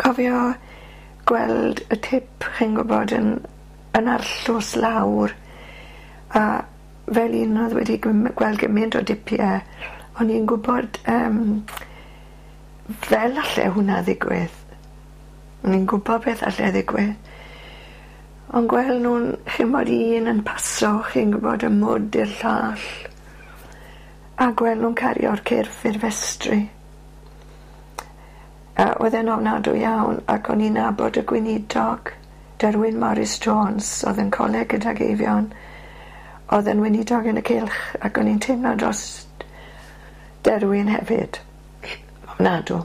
Cofio gweld y tip chi'n gwbod yn yn arllws lawr a fel un o'dd wedi gwm- gweld gymint o dipie o'n i'n gwbod yym fel alle hwnna ddigwydd. O'n i'n gwbo beth alle ddigwydd. Ond gwel' nw'n ch'mod un yn paso chi'n gwbod y mwd i'r llall a gwel' nw'n cario'r cyrff i'r festri. A oedd e'n ofnadwy iawn ac o'n i'n nabod y gweinidog Derwyn Morris Jones o'dd yn coleg gydag Eifion o'dd yn weinidog yn y cylch ac o'n i'n teimlo dros Derwyn hefyd. Ofnadw.